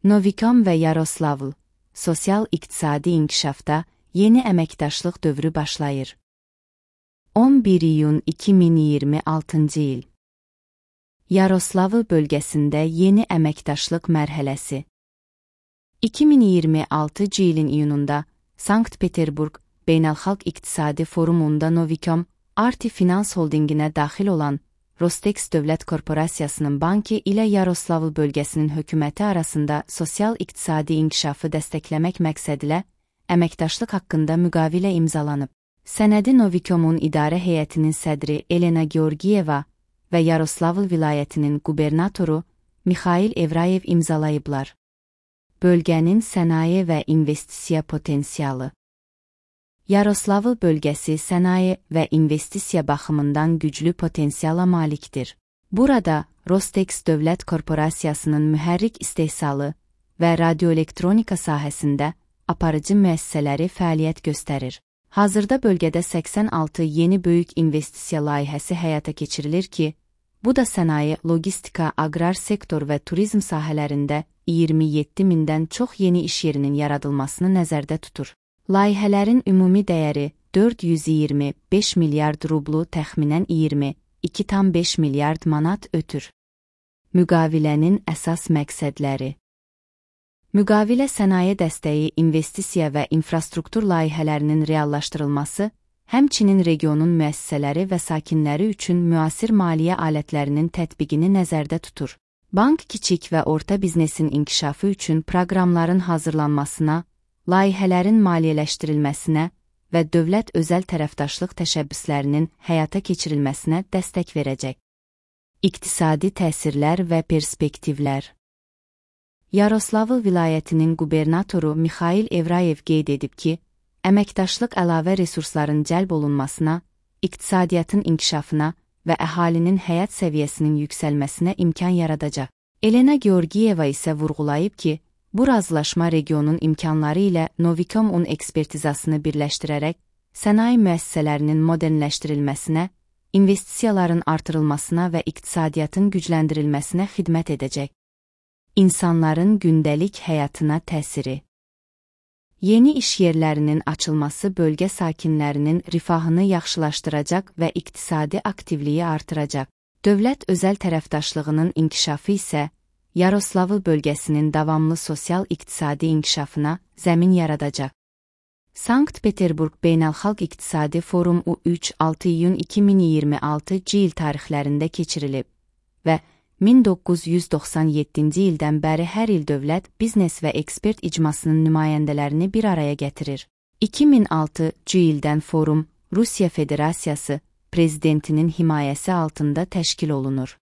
Novikom və Yaroslavl, sosial-iqtisadi inkişafda yeni əməkdaşlıq dövrü başlayır. 11 iyun 2026 il. Yaroslavl bölgəsində yeni əməkdaşlıq mərhələsi. 2026 ilin iyununda Sankt-Peterburg Beynəlxalq İqtisadi Forumunda Novikom, Arti Finans Holdinginə daxil olan Rostex Dövlət Korporasiyasının banki ilə Yaroslavl bölgəsinin hökuməti arasında sosial-iqtisadi inkişafı dəstəkləmək məqsədilə əməkdaşlıq haqqında müqavilə imzalanıb. Sənədi Novikom'un idarə heyətinin sədri Elena Georgiyeva və Yaroslavl vilayətinin qubernatoru Mikhail Evrayev imzalayıblar. Bölgənin sənaye və investisiya potensialı. Yaroslavl bölgəsi sənaye və investisiya baxımından güclü potensiala malikdir. Burada Rostex Dövlət Korporasiyasının mühərrik istehsalı və radioelektronika sahəsində aparıcı müəssisələri fəaliyyət göstərir. Hazırda bölgədə 86 yeni böyük investisiya layihəsi həyata keçirilir ki, bu da sənaye, logistika, aqrar sektor və turizm sahələrində 27 mindən çox yeni iş yerinin yaradılmasını nəzərdə tutur. Layihələrin ümumi dəyəri 425 milyard rublu təxminən 22,5 milyard manat ötür. Müqavilənin əsas məqsədləri. Müqavilə sənaye dəstəyi, investisiya və infrastruktur layihələrinin reallaşdırılması, həmçinin regionun müəssisələri və sakinləri üçün müasir maliyyə alətlərinin tətbiqini nəzərdə tutur. Bank kiçik və orta biznesin inkişafı üçün proqramların hazırlanmasına, layihələrin maliyyələşdirilməsinə və dövlət-özəl tərəfdaşlıq təşəbbüslərinin həyata keçirilməsinə dəstək verəcək. İqtisadi təsirlər və perspektivlər. Yaroslavl vilayətinin qubernatoru Mikhail Evrayev qeyd edib ki, əməkdaşlıq əlavə resursların cəlb olunmasına, iqtisadiyyatın inkişafına və əhalinin həyat səviyyəsinin yüksəlməsinə imkan yaradacaq. Elena Georgiyeva isə vurğulayıb ki, bu razılaşma regionun imkanları ilə Novikom-un ekspertizasını birləşdirərək, sənaye müəssisələrinin modernləşdirilməsinə, investisiyaların artırılmasına və iqtisadiyyatın gücləndirilməsinə xidmət edəcək. İnsanların gündəlik həyatına təsiri. Yeni iş yerlərinin açılması bölgə sakinlərinin rifahını yaxşılaşdıracaq və iqtisadi aktivliyi artıracaq. Dövlət-özəl tərəfdaşlığının inkişafı isə Yaroslavl bölgəsinin davamlı sosial-iqtisadi inkişafına zəmin yaradacaq. Sankt-Peterburg Beynəlxalq İqtisadi Forum U3-6 iyun 2026 il tarixlərində keçirilib və 1997-ci ildən bəri hər il dövlət, biznes və ekspert icmasının nümayəndələrini bir araya gətirir. 2006-cı ildən forum Rusiya Federasiyası prezidentinin himayəsi altında təşkil olunur.